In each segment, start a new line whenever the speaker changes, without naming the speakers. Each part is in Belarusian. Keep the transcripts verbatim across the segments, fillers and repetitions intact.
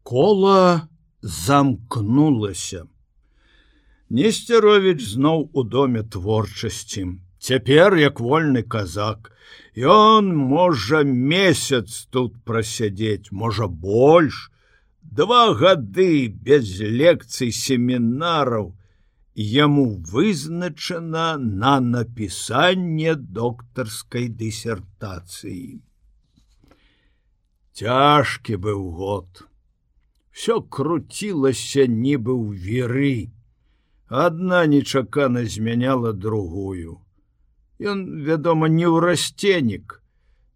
Кола замкнулася. Несцяровіч зноў у доме творчасці. Цяпер, як вольны казак, ён можа месяц тут прасядзець, можа больш. Два гады без лекцый семінараў яму вызначана на напісанне доктарскай дысертацыі. Цяжкі быў год. Всё круцілася нібы ў віры. Адна нечакана змяняла другую. Ён, вядома, не ўрасценік.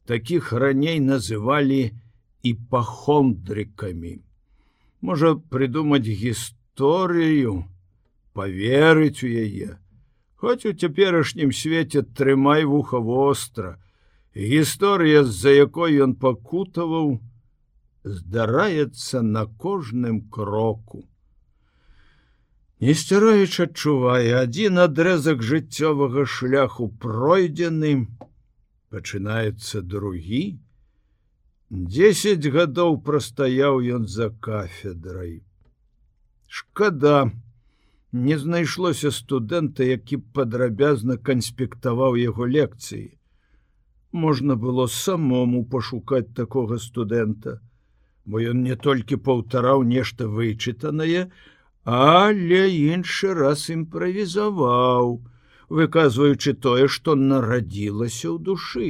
Такіх раней называлі іпахондрыкамі. Можа прыдумаць гісторыю, паверыць у яе. Хоць у цяперашнім свеце трымай вуха востра. Гісторыя, з-за якой ён пакутаваў, здараецца на кожным кроку. Несцяровіч адчувае, адзін адрэзак жыццёвага шляху пройдзены, пачынаецца другі. Дзесяць гадоў прастаяў ён за кафедрай. Шкада, не знайшлося студэнта, які б падрабязна канспектаваў яго лекцыі. Можна было самому пашукаць такога студэнта, бо ён не толькі паўтараў нешта вычытанае, але іншы раз імправізаваў, выказваючы тое, што нарадзілася ў душы.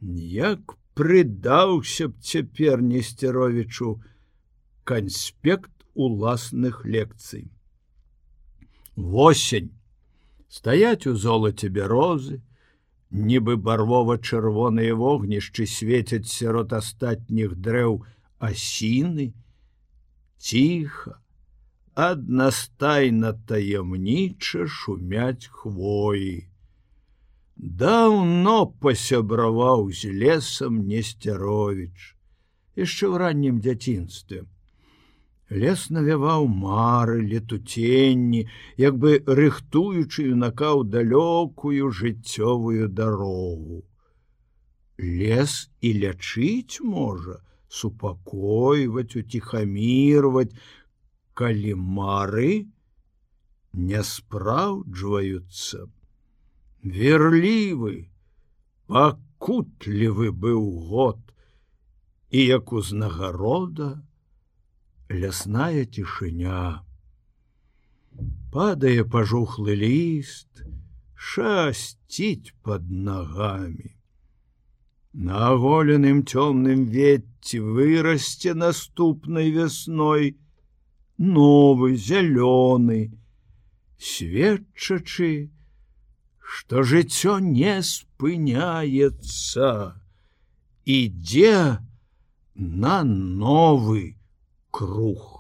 Як прыдаўся б цяпер Несцяровічу канспект уласных лекцый. Восень. Стаяць у золаце бярозы, нібы барвова-чырвоныя вогнішчы свецяць сярод астатніх дрэў асіны. Ціха, аднастайна таямніча шумяць хвоі. Даўно пасябраваў з лесам Несцяровіч, яшчэ ў раннім дзяцінстве. Лес навяваў мары, летуценні, як бы рыхтуючы юнака ў далёкую жыццёвую дарогу. Лес і лячыць можа, супакойваць, уціхамірваць, калі мары не спраўджваюцца. Верлівы, пакутлівы быў год, і як узнагарода лясная цішыня. Падае пажухлы ліст, шасціць пад нагамі. На аголеным цёмным ветці вырасце наступнай вясной новы, зялёны, сведчачы, што жыццё не спыняецца, ідзе на новы круг.